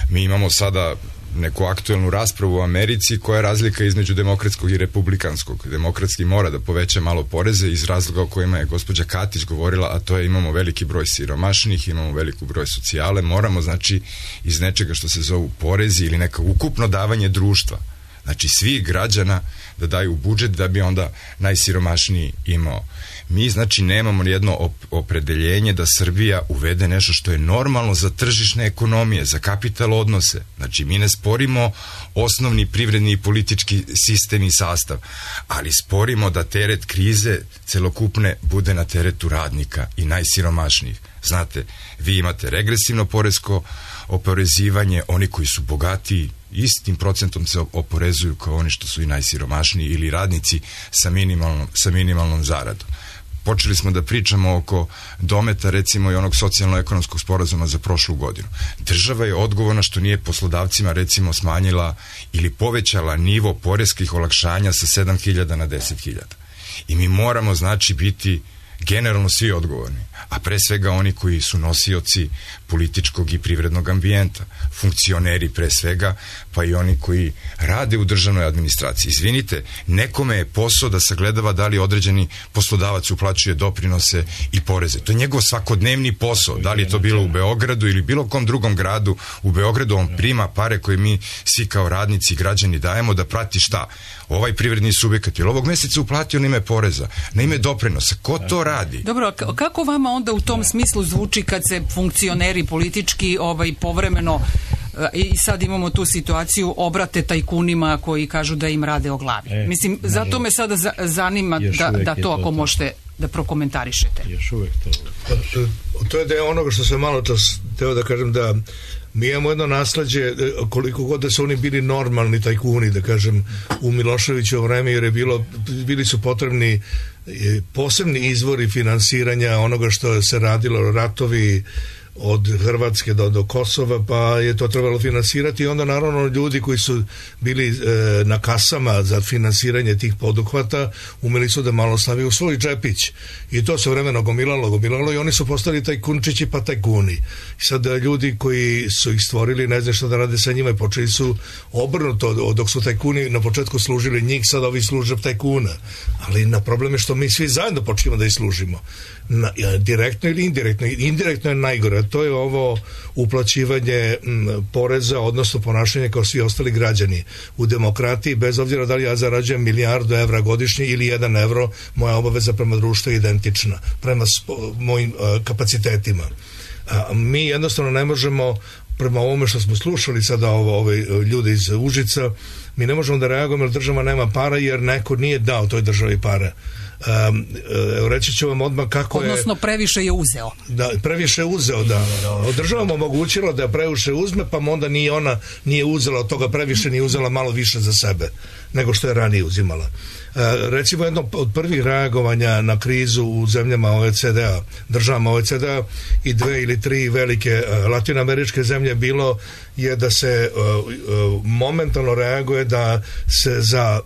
Mi imamo sada neku aktuelnu raspravu u Americi koja je razlika između demokratskog i republikanskog. Demokratski mora da poveća malo poreze iz razloga o kojima je gospođa Katić govorila, a to je imamo veliki broj siromašnih, imamo veliku broj socijale, moramo znači iz nečega što se zovu porezi ili neka ukupno davanje društva, znači svih građana da daju u budžet da bi onda najsiromašniji imao. Mi znači nemamo jedno opredeljenje da Srbija uvede nešto što je normalno za tržišne ekonomije, za kapital odnose. Znači mi ne sporimo osnovni privredni i politički sistem i sastav, ali sporimo da teret krize celokupne bude na teretu radnika i najsiromašnijih. Znate, vi imate regresivno poresko oporezivanje, oni koji su bogatiji istim procentom se oporezuju kao oni što su i najsiromašniji ili radnici sa minimalnom zaradom. Počeli smo da pričamo oko dometa, recimo i onog socijalno-ekonomskog sporazuma za prošlu godinu. Država je odgovorna što nije poslodavcima recimo smanjila ili povećala nivo poreskih olakšanja sa 7.000 na 10.000. I mi moramo znači biti generalno svi odgovorni, a pre svega oni koji su nosioci političkog i privrednog ambijenta, funkcioneri pre svega, pa i oni koji rade u državnoj administraciji. Izvinite, nekome je posao da sagledava da li određeni poslodavac uplaćuje doprinose i poreze. To je njegov svakodnevni posao, da li je to bilo u Beogradu ili bilo kom drugom gradu. U Beogradu on prima pare koje mi svi kao radnici i građani dajemo da prati šta? Ovaj privredni subjekat je ovog mjeseca uplatio na ime poreza, na ime doprinosa. Ko to radi? Dobro, kako vama onda u tom smislu zvuči kad se funkcioneri politički povremeno, i sad imamo tu situaciju, obrate tajkunima koji kažu da im rade o glavi? Mislim, zato me sada zanima da to ako možete da prokomentarišete. Još uvek to. To je deo onoga što sam malo čas teo da kažem, da mi imamo jedno nasleđe, koliko god da su oni bili normalni tajkuni, da kažem, u Miloševićevo vreme, jer bili su potrebni posebni izvori finansiranja onoga što se radilo, ratovi, od Hrvatske do Kosova, pa je to trebalo finansirati i onda naravno ljudi koji su bili na kasama za finansiranje tih poduhvata umeli su da malo staviju u svoj džepić i to se vremeno gomilalo i oni su postali tajkunčići pa tajkuni. I sad ljudi koji su ih stvorili ne znam šta da rade sa njima i počeli su obrnuto, dok su tajkuni na početku služili njih, sad ovi služe tajkuna, ali na problem je što mi svi zajedno počnemo da ih služimo. Direktno ili indirektno. Indirektno je najgore, to je ovo uplaćivanje poreza, odnosno ponašanje kao svi ostali građani. U demokratiji, bez obzira da li ja zarađujem $1 milijardu godišnje ili 1 evro, moja obaveza prema društvu je identična, prema mojim kapacitetima. Mi jednostavno ne možemo, prema ovome što smo slušali sada ove ljude iz Užica, mi ne možemo da reagujemo jer država nema para, jer neko nije dao toj državi pare. Reći ću vam odmah kako je... Odnosno previše je uzeo. Da, previše je uzeo, da. Država mu omogućila da previše uzme, pa onda ona nije uzela od toga previše, nije uzela malo više za sebe nego što je ranije uzimala. Recimo jedno od prvih reagovanja na krizu u zemljama OECD-a, državama OECD-a i 2 ili 3 velike latinoameričke zemlje bilo je da se momentalno reaguje da se za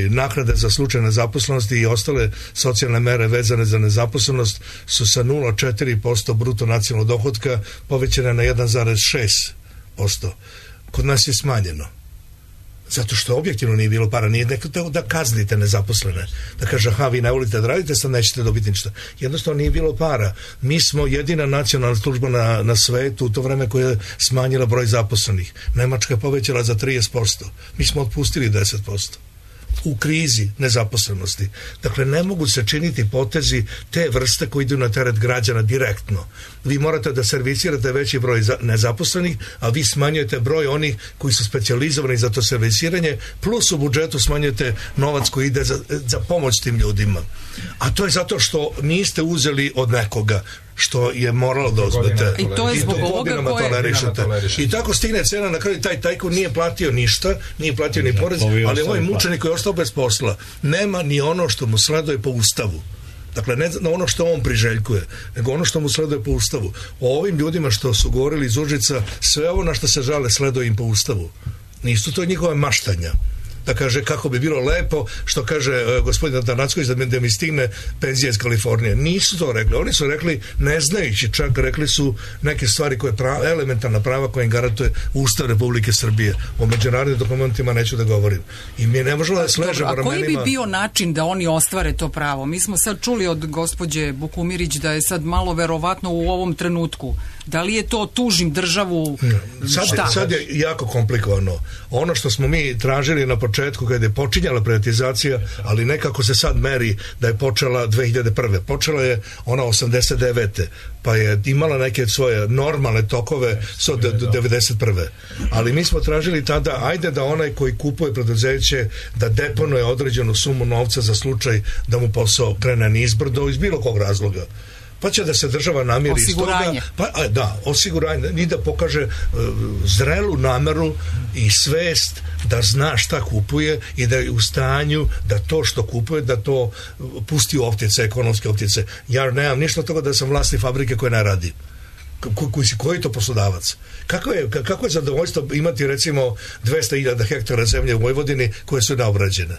naknade za slučaj nezaposlenosti i ostale socijalne mere vezane za nezaposlenost su sa 0,4% bruto nacionalnog dohotka povećane na 1,6%. Kod nas je smanjeno. Zato što objektivno nije bilo para, nije neko da kaznite nezaposlene, da kaže aha, vi ne volite da radite, sad nećete dobiti ništa. Jednostavno nije bilo para. Mi smo jedina nacionalna služba na svetu u to vreme koja je smanjila broj zaposlenih. Nemačka je povećala za 30%. Mi smo otpustili 10%. U krizi nezaposlenosti. Dakle, ne mogu se činiti potezi te vrste koji idu na teret građana direktno. Vi morate da servisirate veći broj nezaposlenih, a vi smanjujete broj onih koji su specijalizovani za to servisiranje, plus u budžetu smanjujete novac koji ide za pomoć tim ljudima. A to je zato što niste uzeli od nekoga što je moralo da uzmete. I to je zbog ovoga koje... I tako stigne cena, na kraju taj tajkun nije platio ništa, nije platio ni porez, ali ovaj mučenik koji je ostao bez posla nema ni ono što mu sleduje po ustavu. Dakle, ne ono što on priželjkuje, nego ono što mu sleduje po ustavu. O ovim ljudima što su govorili iz Užica, sve ovo na što se žale sleduje im po ustavu. Nisu to njihove maštanja. Da kaže kako bi bilo lepo, što kaže gospodin Atanacković, da mi stigne penzija iz Kalifornije. Nisu to rekli. Oni su rekli, ne znajući, čak rekli su neke stvari koje elementarna prava koje im garantuje Ustav Republike Srbije. O međunarodnim dokumentima neću da govorim. I mi ne možemo da sležemo ramenima. A koji bi bio način da oni ostvare to pravo? Mi smo sad čuli od gospođe Bukumirić da je sad malo verovatno u ovom trenutku. Da li je to tužim državu? Sad je jako komplikovano. Ono što smo mi tražili na početku kada je počinjala privatizacija, ali nekako se sad meri da je počela 2001. Počela je ona 89. pa je imala neke svoje normalne tokove do 91. Ali mi smo tražili tada, ajde da onaj koji kupuje preduzeće da deponuje određenu sumu novca za slučaj da mu posao krene nizbrdo iz bilo kog razloga. Pa će da se država namiri iz toga, osiguranje, i da pokaže zrelu nameru i svest da zna šta kupuje i da je u stanju da to što kupuje, da to pusti u optice, ekonomske optice. Ja nemam ništa od toga da sam vlasnik fabrike koja ne radi. Koji je to poslodavac? Kako je zadovoljstvo imati recimo 200.000 hektara zemlje u Vojvodini koje su neobrađene?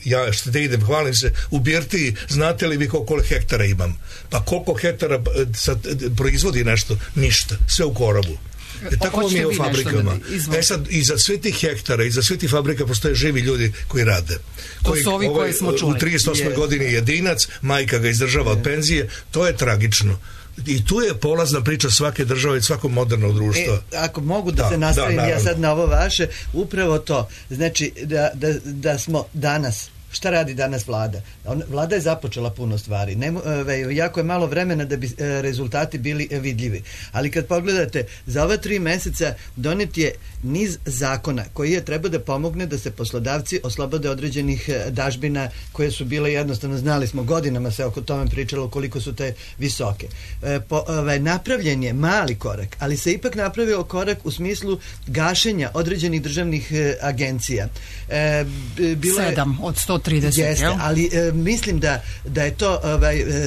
Ja što da idem, hvalim se u Birtiji, znate li vi koliko hektara imam? Pa koliko hektara proizvodi nešto? Ništa, sve u korobu. Tako mi je u fabrikama. Sad, iza sve tih hektara, iza sve tih fabrika postoje živi ljudi koji rade. To su ovi koje smo čuli. U 38. godini jedinac, majka ga izdržava od penzije, to je tragično. I tu je polazna priča svake države i svakog modernog društva. Ako mogu da se nastavim ja sad na ovo vaše, upravo to. Znači da smo danas, šta radi danas vlada? Vlada je započela puno stvari. Jako je malo vremena da bi rezultati bili vidljivi. Ali kad pogledate, za ova 3 meseca donet je niz zakona koji je treba da pomogne da se poslodavci oslobode određenih dažbina koje su bile jednostavno, znali smo, godinama se oko tome pričalo koliko su te visoke. Napravljen je mali korak, ali se ipak napravio korak u smislu gašenja određenih državnih agencija. 7 od 130. Jeste, ali mislim da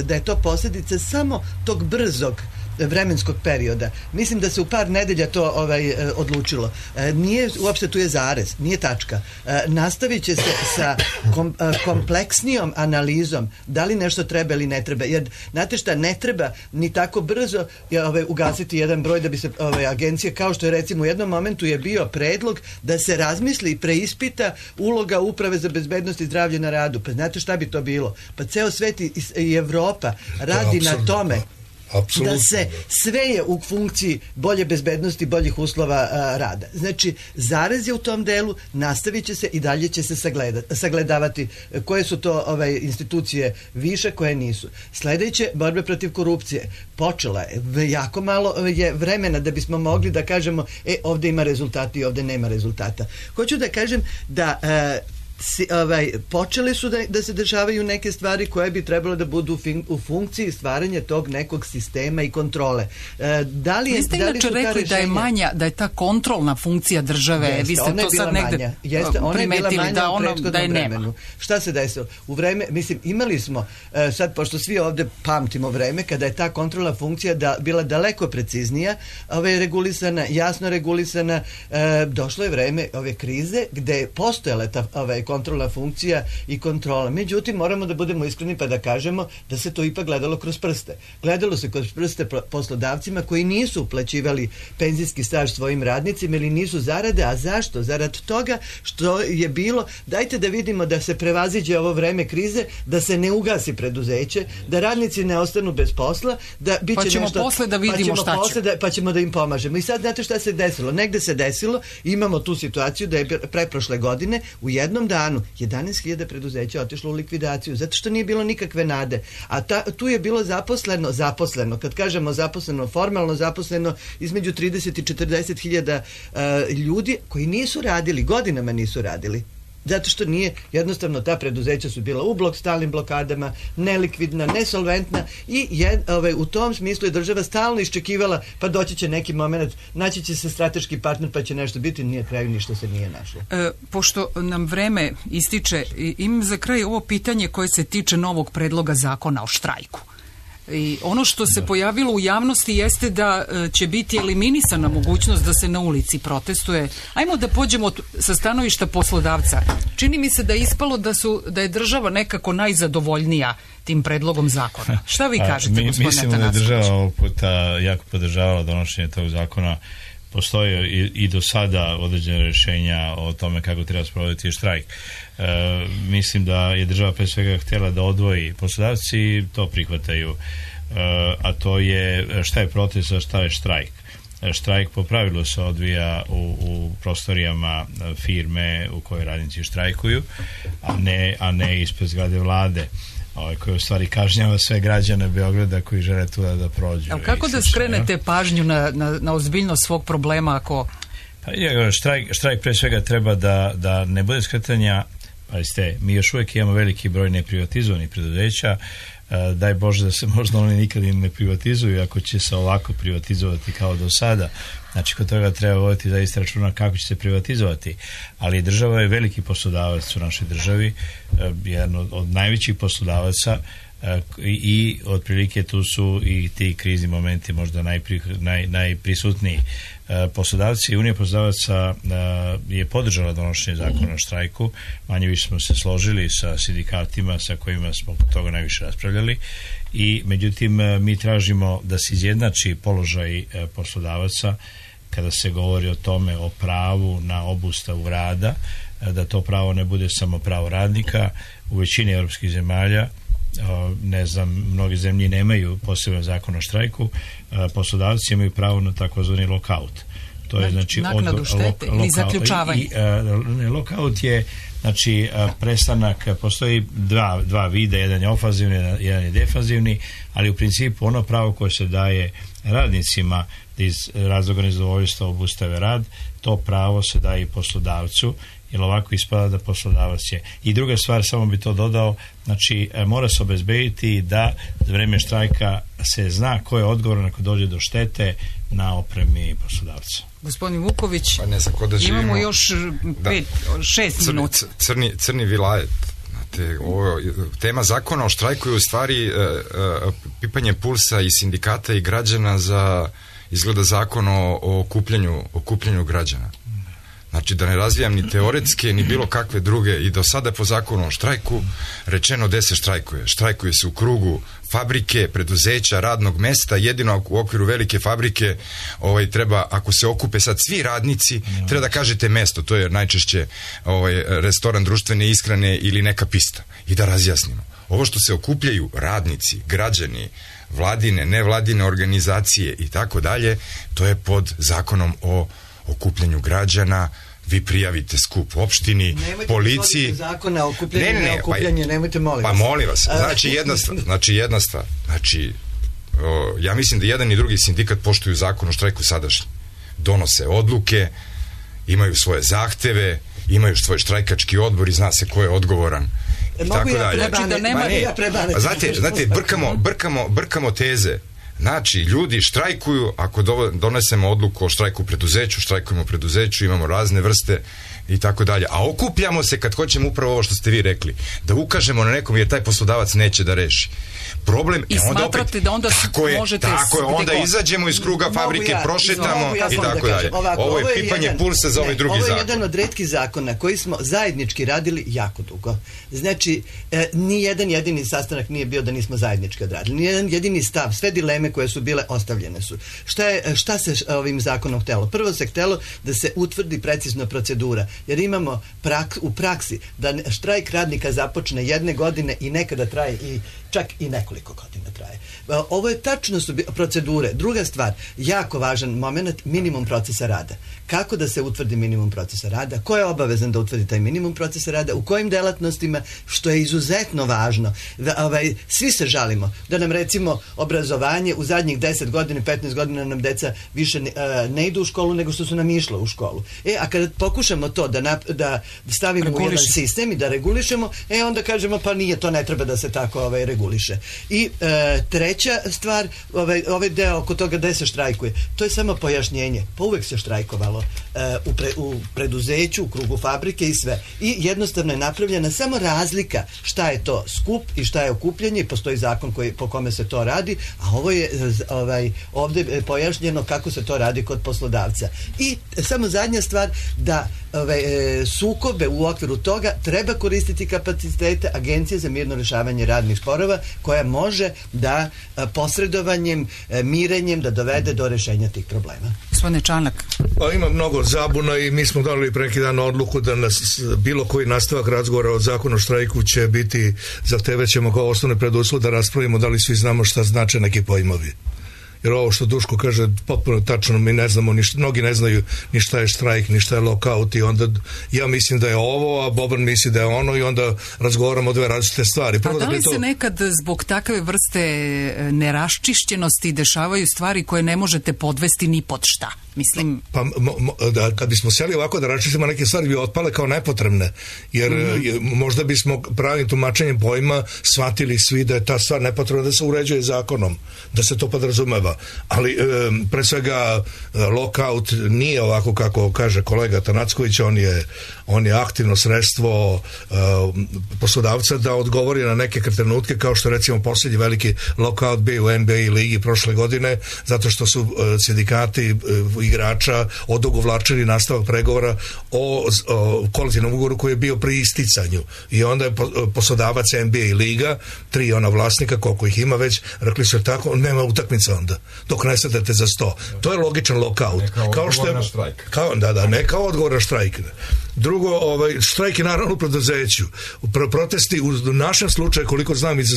je to posljedica samo tog brzog vremenskog perioda. Mislim da se u par nedelja to odlučilo. Nije, uopšte tu je zarez, nije tačka. Nastavit će se sa kompleksnijom analizom da li nešto treba ili ne treba. Jer, znate šta, ne treba ni tako brzo ugasiti jedan broj da bi se agencije, kao što je recimo u jednom momentu je bio predlog da se razmisli i preispita uloga Uprave za bezbednost i zdravlje na radu. Pa znate šta bi to bilo? Pa ceo svet i Evropa radi na tome da se sve je u funkciji bolje bezbednosti, boljih uslova rada. Znači, zarez je u tom delu, nastavit će se i dalje će se sagledavati koje su to institucije više, koje nisu. Sledeće, borbe protiv korupcije. Počela je. Jako malo je vremena da bismo mogli da kažemo ovde ima rezultata i ovde nema rezultata. Hoću da kažem da počele su da se dešavaju neke stvari koje bi trebalo da budu u funkciji stvaranja tog nekog sistema i kontrole. Vi ste inače rekli da je manja, da je ta kontrolna funkcija države, vi ste to sad negde primetili da je nema. Šta se desilo? U vreme, mislim, imali smo, sad pošto svi ovde pamtimo vreme, kada je ta kontrolna funkcija bila daleko preciznija, regulisana, jasno regulisana, došlo je vreme ove krize gde je postojala ta kontrolna funkcija i kontrola. Međutim, moramo da budemo iskreni pa da kažemo da se to ipak gledalo kroz prste. Gledalo se kroz prste poslodavcima koji nisu uplaćivali penzijski staž svojim radnicima ili nisu zarade, a zašto? Zarad toga što je bilo, dajte da vidimo da se prevaziđe ovo vreme krize, da se ne ugasi preduzeće, da radnici ne ostanu bez posla, da biće pa ćemo nešto, posle da vidimo šta će. Pa ćemo da im pomažemo. I sad znate šta se desilo? Negde se desilo, imamo tu situaciju da je preprošle godine u jednom danu 11.000 preduzeća otišlo u likvidaciju, zato što nije bilo nikakve nade. A tu je bilo zaposleno, kad kažemo zaposleno, formalno zaposleno, između 30 i 40.000 ljudi koji nisu radili, godinama nisu radili. Zato što nije, jednostavno ta preduzeća su bila u stalnim blokadama, nelikvidna, nesolventna i u tom smislu je država stalno iščekivala, pa doći će neki moment, naći će se strateški partner pa će nešto biti, nije kraju ništa se nije našlo. Pošto nam vreme ističe, imam za kraj ovo pitanje koje se tiče novog predloga zakona o štrajku. I ono što se pojavilo u javnosti jeste da će biti eliminisana mogućnost da se na ulici protestuje. Ajmo da pođemo sa stanovišta poslodavca. Čini mi se da je ispalo da je država nekako najzadovoljnija tim predlogom zakona. Šta vi kažete, gospodine Atanasković? Mislim da je država ovog puta jako podržavala donošenje tog zakona. Postoje i do sada određene rješenja o tome kako treba sprovoditi štrajk. Mislim da je država pre svega htjela da odvoji, poslodavci to prihvataju, a to je šta je protest, a šta je štrajk. Štrajk po pravilu se odvija u prostorijama firme u kojoj radnici štrajkuju, a ne ispred zgrade vlade, koji u stvari kažnjava sve građane Beograda koji žele tu da prođu. Ali kako da skrenete pažnju na ozbiljnost svog problema ako... Pa, štrajk pre svega treba da ne bude skretanja. Pazite, mi još uvijek imamo veliki broj neprivatizovanih preduzeća. Daj Bože da se možda oni nikad ne privatizuju, ako će se ovako privatizovati kao do sada. Znači, kod toga treba voditi zaista računa kako će se privatizovati. Ali država je veliki poslodavac u našoj državi, jedan od najvećih poslodavaca, i otprilike tu su i ti krizni momenti možda najprisutniji. Poslodavci, Unija poslodavaca je podržala donošenje zakona o štrajku, manje više smo se složili sa sindikatima sa kojima smo kod toga najviše raspravljali, i međutim mi tražimo da se izjednači položaj poslodavaca kada se govori o tome, o pravu na obustavu rada, da to pravo ne bude samo pravo radnika. U većini europskih zemalja, ne znam, mnoge zemlje nemaju poseban zakon o štrajku, poslodavci imaju pravo na takozvani lockout. To je znači naknadu štete ili zaključavanje. Lockout je znači prestanak, postoji dva vida, jedan je ofanzivni, jedan je defanzivni, ali u principu ono pravo koje se daje radnicima da iz razloga nezadovoljstva obustave rad, to pravo se daje i poslodavcu, jer ovako ispada da poslodavac je. I druga stvar, samo bi to dodao, znači mora se obezbediti da za vreme štrajka se zna ko je odgovoran ako dođe do štete na opremi poslodavca. Gospodin Vuković, pa ne znam, imamo još 6 minuta. Crni vilajet, Znate, tema zakona o štrajku je u stvari pipanje pulsa i sindikata i građana za, izgleda, zakon o okupljanju građana. Znači, da ne razvijam ni teoretske, ni bilo kakve druge, i do sada po zakonu o štrajku rečeno gde se štrajkuje. Štrajkuje se u krugu fabrike, preduzeća, radnog mesta, jedino u okviru velike fabrike treba, ako se okupe sad svi radnici, treba da kažete mesto, to je najčešće restoran društvene ishrane ili neka pista, i da razjasnimo. Ovo što se okupljaju radnici, građani, vladine, nevladine organizacije i tako dalje, to je pod zakonom o okupljanju građana. Vi prijavite skup u opštini, nemojte policiji. Zakona o okupljanju, ne okupljanje, nemojte, molim vas. Pa molim vas, jedna stvar. Ja mislim da jedan i drugi sindikat poštuju zakon o štrajku sadašnji. Donose odluke, imaju svoje zahteve, imaju svoj štrajkački odbor i zna se ko je odgovoran. I tako dalje. Znate, brkamo teze. Znači, ljudi štrajkuju, ako donesemo odluku o štrajku u preduzeću, štrajkujemo u preduzeću, imamo razne vrste i tako dalje. A okupljamo se kad hoćemo upravo ovo što ste vi rekli, da ukažemo na nekom jer taj poslodavac neće da reši problem. I smatrate da onda možete... Tako je, onda izađemo iz kruga fabrike, prošetamo i tako dalje. Ovo je pipanje pulsa za ovaj drugi zakon. Ovo je jedan od retkih zakona koji smo zajednički radili jako dugo. Znači, ni jedan jedini sastanak nije bio da nismo zajednički odradili. Ni jedan jedini stav, sve dileme koje su bile ostavljene su. Šta se ovim zakonom htelo? Prvo se htelo da se utvrdi precizno procedura, jer imamo u praksi da štrajk radnika započne jedne godine i nekada traje i čak i nekoliko godina traje. Ovo je tačno su procedure. Druga stvar, jako važan moment, minimum procesa rada. Kako da se utvrdi minimum procesa rada? Ko je obavezan da utvrdi taj minimum procesa rada? U kojim delatnostima? Što je izuzetno važno. Svi se žalimo da nam, recimo, obrazovanje u zadnjih 10 godina, 15 godina nam deca više ne idu u školu nego što su nam išle u školu. A kada pokušamo to da stavimo u jedan sistem i da regulišemo, onda kažemo pa nije, to ne treba da se tako reguliše. I treća stvar, ovaj deo oko toga gde se štrajkuje, to je samo pojašnjenje. Pa uvek se štrajkovalo u preduzeću, u krugu fabrike i sve. I jednostavno je napravljena samo razlika šta je to skup i šta je okupljanje, i postoji zakon po kome se to radi, a ovo je ovde pojašnjeno kako se to radi kod poslodavca. I samo zadnja stvar, da sukobe u okviru toga treba koristiti kapacitete Agencije za mirno rešavanje radnih sporova, koja može da posredovanjem, mirenjem da dovede do rešenja tih problema. Gospodine Čanak. Pa ima mnogo zabuna i mi smo dali pre neki dan odluku da nas bilo koji nastavak razgovora o zakonu o štrajku će biti, zahtevaćemo kao osnovni preduslov da raspravimo da li svi znamo šta znače neki pojmovi. Jer ovo što Duško kaže potpuno tačno, mi ne znamo, mnogi ne znaju ni šta je štrajk, ni šta je lockout, i onda ja mislim da je ovo, a Boban misli da je ono, i onda razgovaramo o dve različite stvari. A da li se nekad zbog takve vrste neraščišćenosti dešavaju stvari koje ne možete podvesti ni pod šta? Mislim... Pa kad bismo seli ovako da raščistimo neke stvari bi otpale kao nepotrebne, jer možda bismo pravim tumačenjem pojma shvatili svi da je ta stvar nepotrebna da se uređuje zakonom, da se to podrazumeva. Ali pre svega lockout nije ovako kako kaže kolega Tanacković, on je aktivno sredstvo poslodavca da odgovori na neke trenutke, kao što recimo posljednji veliki lockout bio u NBA ligi prošle godine, zato što su sindikati igrača odugovlačili nastavak pregovora o kolektivnom ugovoru koji je bio pri isticanju, i onda je poslodavac NBA liga, 3 vlasnika, koliko ih ima već, rekli su tako, nema utakmica onda, dok ne sedete za 100. To je logičan lockout. Kao što je ne kao odgovor na štrajk. Drugo, štrajk je naravno u preduzeću. Protesti u našem slučaju, koliko znam, iz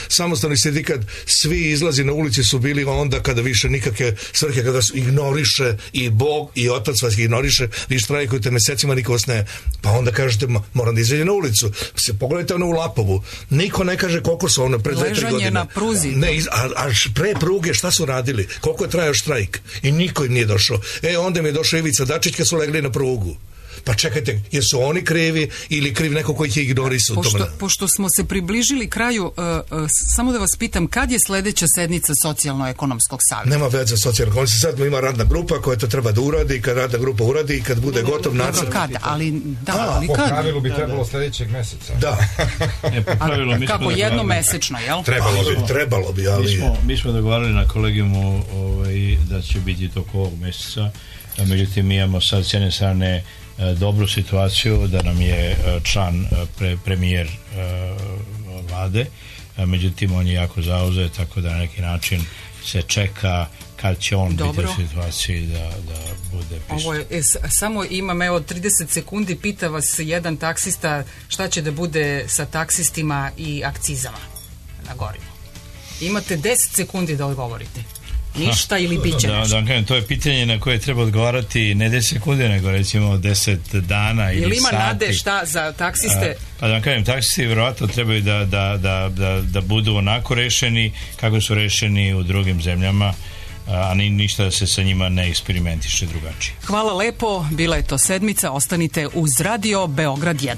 samostalni sindikat, svi izlazi na ulici su bili onda kada više nikakve svrhe, kada su ignoriše i Bog i Otac vas ignoriše, vi štrajkujete mesecima, niko vas ne, pa onda kažete moram da izađe na ulicu. Pogledajte u Lapovu, niko ne kaže koliko su pre 2-3 godine. Ležanje na pruzi. Ne, a pre pruge šta su radili? Koliko je trajao štrajk? I niko im nije došao. Onda mi je došao Ivica Dačić kad su legli na prugu. Pa čekajte, jesu oni krivi ili kriv neko koji ih je ignorisao? Pošto smo se približili kraju, samo da vas pitam, kad je sledeća sednica Socijalno-ekonomskog savjeta? Nema veze socijalno. Sad ima radna grupa koja to treba da uradi, kad radna grupa uradi i kad bude gotov nacrt. Kad? Ali Po kad? pravilu bi trebalo sledećeg meseca. Da. Kako jednomesečno, jel? Trebalo bi, ali... Mi smo dogovarali na kolegijumu da će biti toko ovog meseca, međutim mi imamo sad s jedne strane dobru situaciju da nam je član premijer vlade, međutim on je jako zauzet, tako da na neki način se čeka kad će on biti u situaciji da bude prisutan. Ovo je, samo imam 30 sekundi, pita vas jedan taksista šta će da bude sa taksistima i akcizama na gorivo. Imate 10 sekundi da odgovorite. Ništa ili bit će nešto? To je pitanje na koje treba odgovarati ne 10 sekundi, nego recimo 10 dana ili sati. Ili ima nade šta za taksiste? Pa da vam kažem, taksisti vjerovatno trebaju da budu onako rešeni kako su rešeni u drugim zemljama, a ništa da se sa njima ne eksperimentiše drugačije. Hvala lepo, bila je to sedmica, ostanite uz Radio Beograd 1.